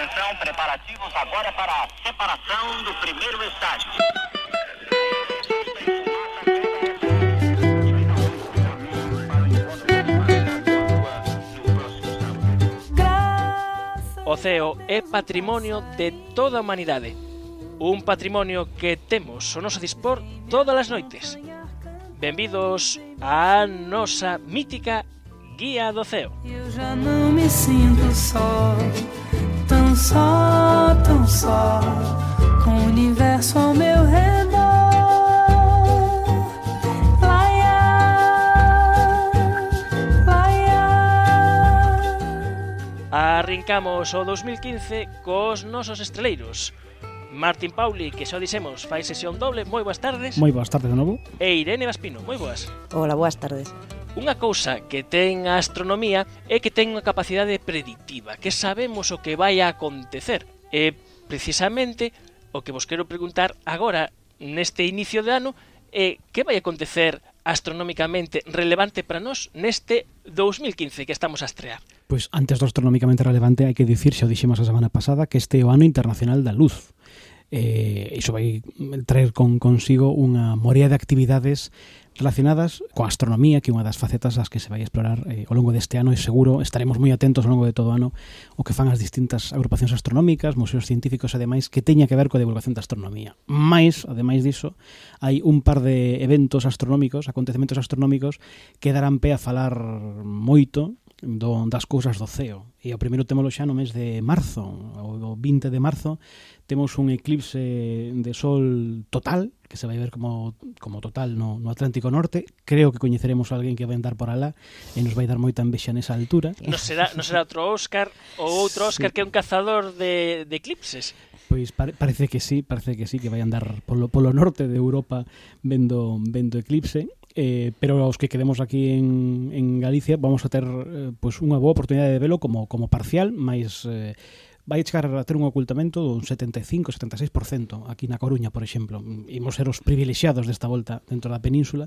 Atenção, preparativos agora para a separação do primeiro estágio. O ceo é patrimonio de toda a humanidade. Un patrimonio que temos o noso dispor todas as noites. Benvidos á nosa mítica Guía do Ceo. Eu já não me sinto só, tão só, com o universo ao meu redor. Arrincamos o 2015 cos nosos estreleiros. Martín Pauli, que xa dixemos, fai sesión doble, moi boas tardes. Moi boas tardes de novo. E Irene Vaspino, moi boas. Hola, boas tardes. Unha cousa que ten a astronomía é que ten unha capacidade predictiva, que sabemos o que vai a acontecer. E precisamente o que vos quero preguntar agora, neste inicio de ano, é que vai acontecer astronómicamente relevante para nós neste 2015 que estamos a estrear. Pois antes do astronómicamente relevante hai que dicir, xa o dixemos a semana pasada, que este é o ano internacional da luz. Iso vai traer consigo unha morea de actividades relacionadas coa astronomía, que é unha das facetas as que se vai explorar ao longo deste ano, e seguro estaremos moi atentos ao longo de todo o ano o que fan as distintas agrupacións astronómicas, museos científicos e demais, que teña que ver coa divulgación da astronomía. Mais, ademais diso, hai un par de eventos astronómicos, acontecementos astronómicos, que darán pé a falar moito das cousas do ceo. E o primeiro témolo xa no mes de marzo, o 20 de marzo, temos un eclipse de sol total, que se vai ver como total no Atlántico Norte. Creo que coñeceremos a alguén que vai andar por alá e nos vai dar moita envexa nesa altura. Non será outro Óscar ou outro Óscar, sí, que é un cazador de eclipses? Pois parece que sí, que vai andar polo norte de Europa vendo eclipse. Pero os que quedemos aquí en Galicia vamos a ter pois unha boa oportunidade de velo como parcial, mas vai chegar a ter un ocultamento dun 75-76% aquí na Coruña, por exemplo. Imos ser os privilexiados desta volta dentro da península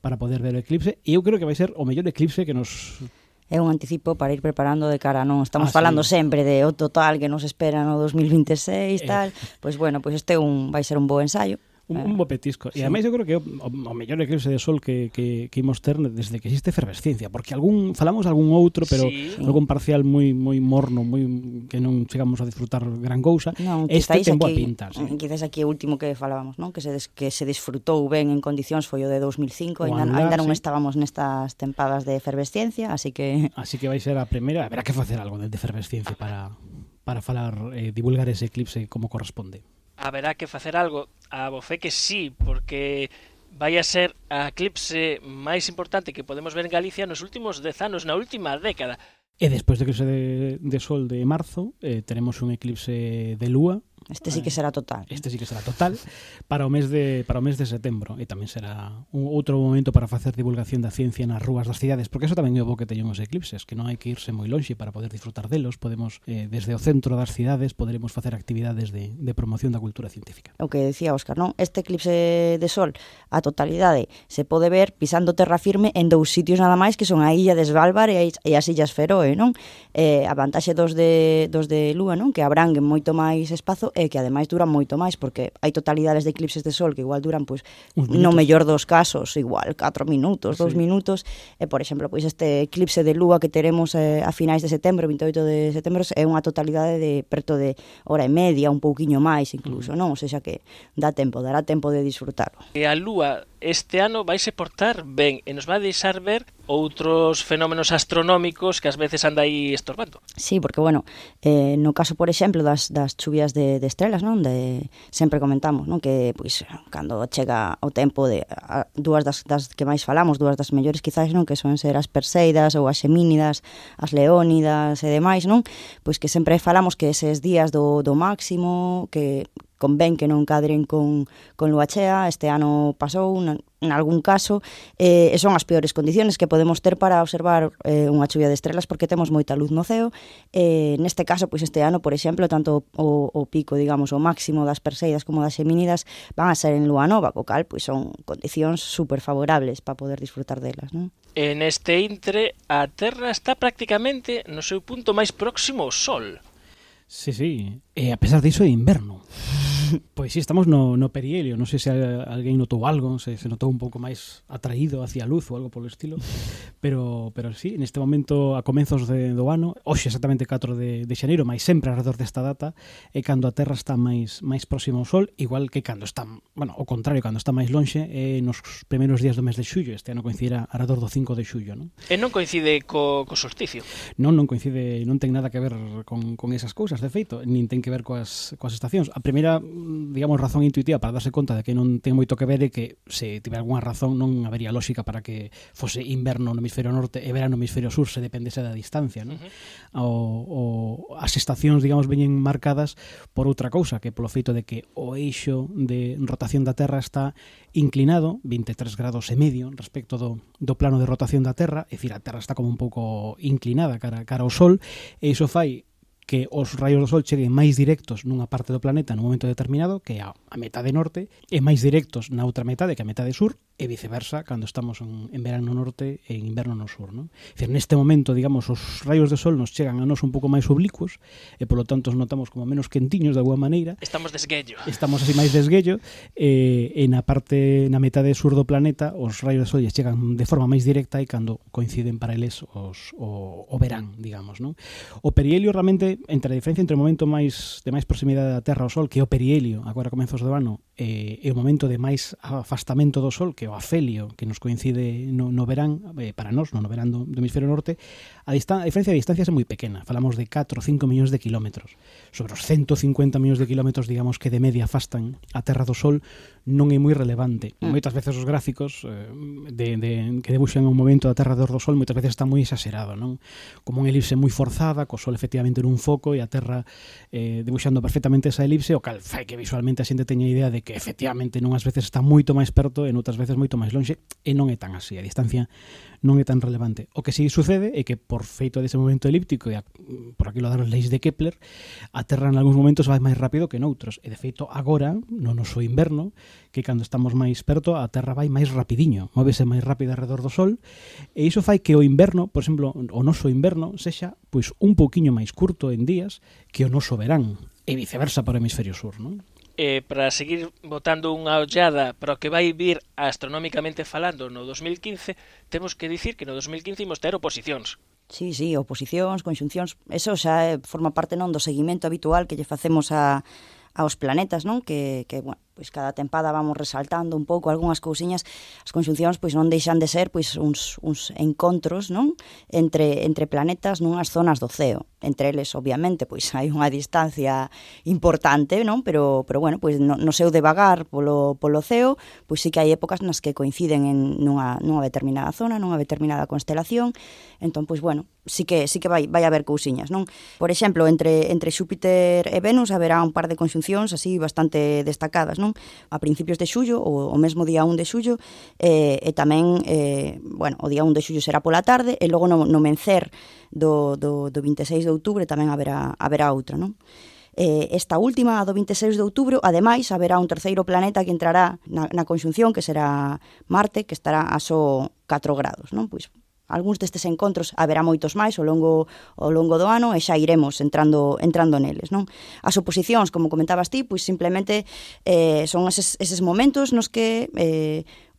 para poder ver o eclipse, e eu creo que vai ser o mellor eclipse que nos... É un anticipo para ir preparando de cara, non estamos falando sempre de o total que nos espera no 2026 tal, pois bueno, pois este vai ser un bo ensaio. Un bo petisco. Sí. E ademais eu creo que o mellor eclipse de sol que imos ter desde que existe efervesciencia, porque falamos algún outro, pero sí, algún parcial moi morno, moi que non chegamos a disfrutar gran cousa. Non, este ten boa pinta. Sí. Quizás aquí o último que falábamos, non? Que se disfrutou ben en condicións foi o de 2005, ainda non estábamos nestas tempadas de efervesciencia, así que vai ser a primeira, haberá que facer algo de efervesciencia para falar, divulgar ese eclipse como corresponde. Haberá que facer algo, a bofé que sí, porque vai a ser a eclipse máis importante que podemos ver en Galicia nos últimos 10 anos, na última década. E despois do eclipse de sol de marzo, teremos un eclipse de lúa. Este sí que será total. Este sí que será total para o mes de setembro, e tamén será un outro momento para facer divulgación da ciencia nas rúas das cidades, porque eso tamén é o bo que teñen os eclipses, que non hai que irse moi lonxe para poder disfrutar delos. Podemos, desde o centro das cidades, poderemos facer actividades de promoción da cultura científica. O que decía Óscar, non? Este eclipse de sol, a totalidade, se pode ver pisando terra firme en 2 sitios nada máis, que son a illa de Svalbard e as illas Feroe, non? A vantaxe dos de lúa, non? Que abranguen moito máis espazo e que ademais duran moito máis, porque hai totalidades de eclipses de sol que igual duran, pois, no mellor dos casos, igual 4 minutos, 2 minutos, e, por exemplo, pois este eclipse de lúa que teremos a finais de setembro, 28 de setembro, é unha totalidade de preto de hora e media, un pouquiño máis incluso, non? O sea que dará tempo de disfrutarlo. E a lúa este ano vai se portar ben e nos vai deixar ver outros fenómenos astronómicos que ás veces anda aí estorbando. Sí, porque, bueno, no caso, por exemplo, das chuvias de estrelas, non? Sempre comentamos, non? Que, pois, cando chega o tempo de dúas das que máis falamos, dúas das mellores quizás, non? Que son ser as Perseidas ou as Semínidas, as Leónidas e demais, non? Pois que sempre falamos que eses días do máximo, que convén que non cadren con lúa chea. Este ano pasou en algún caso, e son as peores condiciones que podemos ter para observar unha chuvia de estrelas, porque temos moita luz no ceo. Neste caso, pois este ano, por exemplo, tanto o pico, digamos, o máximo das Perseidas como das Semínidas van a ser en lúa nova, co cal pois son condicións super favorables para poder disfrutar delas, non? En este intre, a Terra está prácticamente no seu punto máis próximo ao Sol. Sí, sí. E a pesar diso é inverno. Pois sí, estamos no perihelio. Non sei se alguén notou algo, se notou un pouco máis atraído hacia a luz ou algo polo estilo, pero sí, neste momento a comenzos do ano, hoxe exactamente 4 de xaneiro, máis sempre alrededor desta data, é cando a Terra está máis próxima ao Sol, igual que cando está, bueno, ao contrario, cando está máis lonxe, nos primeiros días do mes de xullo. Este ano coincidirá alrededor do 5 de xullo, non? E non coincide co solsticio? Non coincide, non ten nada que ver con esas cousas, de feito, nin ten que ver coas estacións. A primeira, digamos, razón intuitiva para darse conta de que non ten moito que ver é que se tiver algunha razón non habería lógica para que fose inverno no hemisferio norte e verano no hemisferio sur se dependese da distancia, non? As estacións, digamos, veñen marcadas por outra cousa, que polo feito de que o eixo de rotación da Terra está inclinado 23 grados e medio respecto do plano de rotación da Terra, é dicir, a Terra está como un pouco inclinada cara ao Sol, e iso fai que os raios do Sol cheguen máis directos nunha parte do planeta nun momento determinado, que é a metade norte, e máis directos na outra metade, que é a metade sur, e viceversa, cando estamos en verano no norte e en inverno no sur, non? É dicir, neste momento, digamos, os raios do Sol nos chegan a nós un pouco máis oblicuos, e polo tanto os notamos como menos quentiños de alguma maneira. Estamos desguello. Estamos así máis desguello, e na metade sur do planeta os raios do Sol chegan de forma máis directa e cando coinciden para eles o verán, digamos, non? O perihelio realmente, entre a diferencia entre o momento de máis proximidade da Terra ao Sol, que é o perihelio, agora comenzos do ano, e o momento de máis afastamento do Sol, que é o afelio, que nos coincide no verán, para nós, no verán do hemisferio norte, a diferencia de distancias é moi pequena. Falamos de 4 ou 5 millóns de kilómetros. Sobre os 150 millóns de kilómetros, digamos, que de media afastan a Terra do Sol, non é moi relevante. Moitas veces os gráficos que debuxan o movimento da Terra do Sol moitas veces está moi exagerado, non? Como unha elipse moi forzada, co Sol efectivamente nun foco e a Terra debuxando perfectamente esa elipse, o cal fai que visualmente a xente teña idea de que efectivamente nunhas veces está moito máis perto e noutras veces moito máis lonxe, e non é tan así, a distancia non é tan relevante. O que si sucede é que por feito dese movimento elíptico e por aquilo das leis de Kepler, a Terra en algúns momentos vai máis rápido que noutros, e de feito agora, no noso inverno, que cando estamos máis perto, a Terra vai máis rapidiño, móvese máis rápido alrededor do Sol, e iso fai que o inverno, por exemplo, o noso inverno sexa pois un pouquiño máis curto en días que o noso verán, e viceversa para o hemisferio sur, non? Para seguir botando unha ollada para o que vai vir astronómicamente falando no 2015, temos que dicir que no 2015 imos ter oposicións. Sí, oposicións, conxuncións, eso xa forma parte non do seguimento habitual que lle facemos aos planetas, non? Que bueno, pois cada tempada vamos resaltando un pouco algunhas cousiñas. As conxuncións pois non deixan de ser pois uns encontros, non? Entre planetas nunhas zonas do ceo. Entre eles, obviamente, pois hai unha distancia importante, non? Pero bueno, pois no seu devagar polo ceo, pois sí que hai épocas nas que coinciden en nunha determinada zona, nunha determinada constelación. Entón, pois bueno, sí que vai haber cousiñas, non? Por exemplo, entre Xúpiter e Venus haberá un par de conxuncións así bastante destacadas, non? A principios de xullo, o mesmo día 1 de xullo, e tamén, bueno, o día 1 de xullo será pola tarde, e logo no mencer do 26 de outubro tamén haberá outra, non? Esta última, a do 26 de outubro, ademais, haberá un terceiro planeta que entrará na conxunción, que será Marte, que estará a só 4 grados, non? Pois algúns destes encontros haberá moitos máis ao longo do ano, e xa iremos entrando neles, non? As oposicións, como comentabas ti, pois simplemente son eses momentos nos que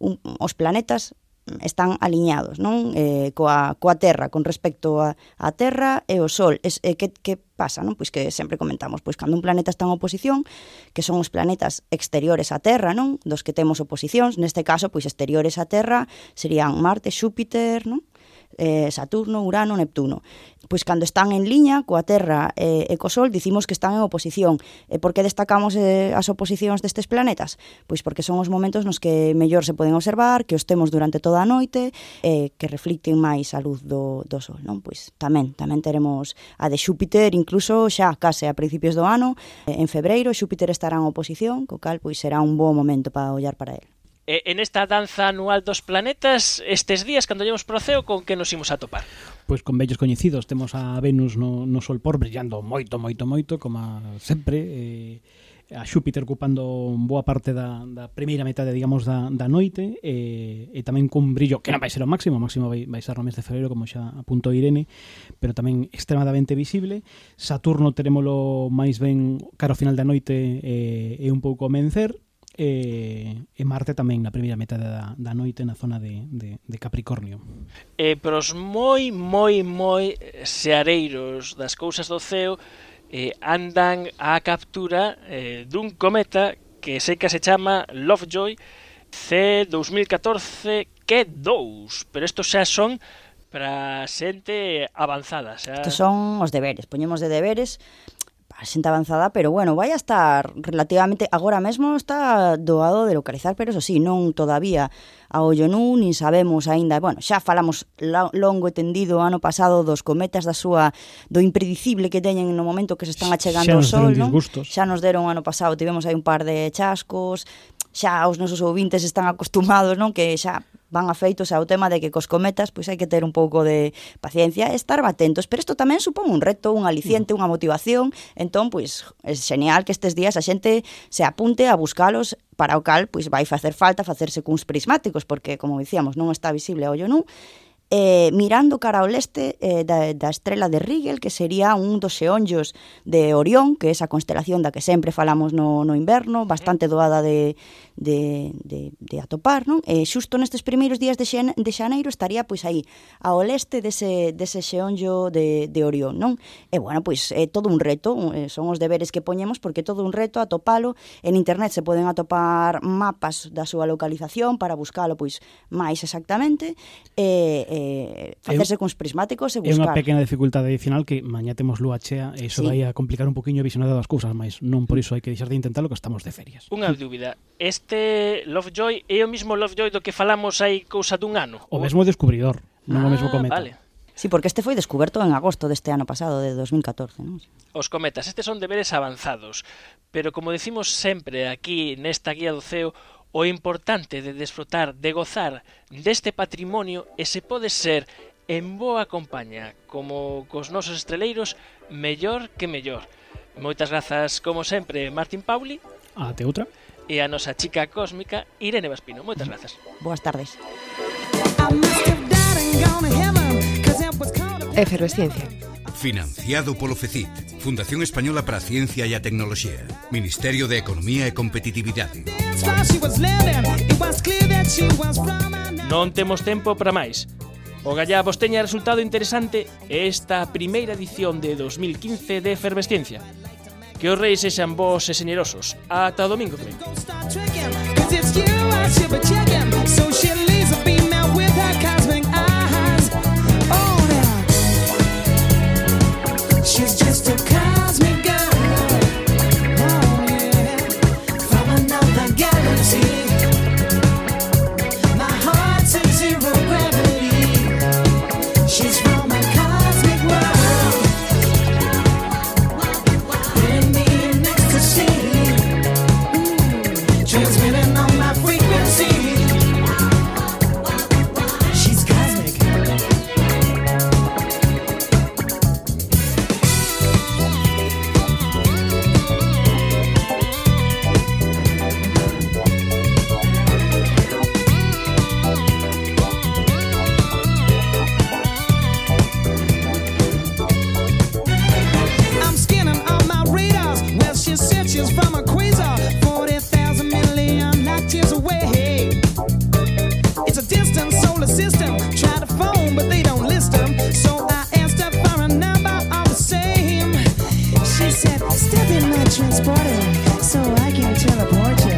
os planetas están aliñados, non? Coa Terra, con respecto a Terra e o Sol. Que pasa, non? Pois que sempre comentamos, pois cando un planeta está en oposición, que son os planetas exteriores á Terra, non? Dos que temos oposicións, neste caso, pois exteriores á Terra serían Marte, Xúpiter, non? Saturno, Urano, Neptuno. Pois cando están en liña coa Terra e co Sol, dicimos que están en oposición. E por que destacamos as oposicións destes planetas? Pois porque son os momentos nos que mellor se poden observar, que os temos durante toda a noite, que reflicten máis a luz do Sol, non? Pois tamén teremos a de Xúpiter, incluso xa case a principios do ano, en febreiro, Xúpiter estará en oposición, co cal pois será un bo momento para ollar para él. En esta danza anual dos planetas, estes días, cando llevamos pro ceo, con que nos imos a topar? Pois con vellos coñecidos. Temos a Venus no Sol por brillando moito, como sempre, a Xúpiter ocupando boa parte da primeira metade, digamos, da noite, e tamén cun brillo que non vai ser o máximo vai ser no mes de febreiro, como xa apuntou Irene, pero tamén extremadamente visible. Saturno terémolo máis ben cara ao final da noite e un pouco amencer, e Marte tamén na primeira metade da noite na zona de Capricornio. E pros moi seareiros das cousas do ceo, andan á captura dun cometa que sei que se chama Lovejoy C2014 Q2, pero estos xa son para xente avanzada. Estos son os deberes, poñemos de deberes para xente avanzada, pero bueno, vai a estar relativamente, agora mesmo está doado de localizar, pero eso sí, non todavía a ollo nu, nin sabemos aínda, bueno, xa falamos longo e tendido ano pasado dos cometas do impredicible que teñen no momento que se están achegando ao Sol, non? Xa nos deron ano pasado, tivemos aí un par de chascos, xa os nosos ouvintes están acostumados, non? Que xa van afeitos ao tema de que cos cometas pois hai que ter un pouco de paciencia e estar atentos, pero isto tamén supón un reto, un aliciente, unha motivación, entón pois é genial que estes días a xente se apunte a buscalos, para o cal pois vai facer falta facerse cuns prismáticos, porque como dicíamos non está visible a ollo nu, mirando cara ao leste da estrela de Rigel, que sería un dos xeonllos de Orión, que é esa constelación da que sempre falamos no inverno, bastante doada de atopar, non? Xusto nestes primeiros días de xaneiro estaría pois aí ao leste dese xeonllo de Orión, non? E bueno, pois é todo un reto, son os deberes que poñemos, porque todo un reto atopalo. En internet se poden atopar mapas da súa localización para buscalo pois máis exactamente, facerse cuns prismáticos e buscar. É unha pequena dificultade adicional que mañá temos lúa chea e iso vai a complicar un poquinho a visionado das cousas, mas non por iso hai que deixar de intentalo, que estamos de ferias. Unha dúbida, este Lovejoy é o mismo Lovejoy do que falamos hai cousa dun ano? O mesmo descubridor, non o mesmo cometa. Vale. Sí, porque este foi descuberto en agosto deste ano pasado, de 2014, non? Os cometas, estes son deberes avanzados, pero como decimos sempre aquí nesta guía do ceo, o importante de desfrutar, de gozar deste patrimonio, e se pode ser en boa compañía, como cos nosos estreleiros, mellor que mellor. Moitas grazas, como sempre, Martín Pauli. Até outra. E a nosa chica cósmica, Irene Vaspino. Moitas grazas. Boas tardes. Efervesciencia. Financiado polo FECIT, Fundación Española para a Ciencia e a Tecnoloxía, Ministerio de Economía e Competitividade. Non temos tempo para máis. Ogallá vos teña resultado interesante esta primeira edición de 2015 de Efervesciencia. Que os reis sexan vos e xenerosos. Ata o domingo que ven. She's just a cosmic girl, oh yeah, from another galaxy. My heart's in zero gravity. She's from a cosmic world, putting me in ecstasy, transmitting on my frequency. She's cosmic. She's from a quasar, 40,000 million light years away. It's a distant solar system. Try to phone, but they don't list them. So I asked her for a number all the same. She said, step in my transporter so I can teleport you.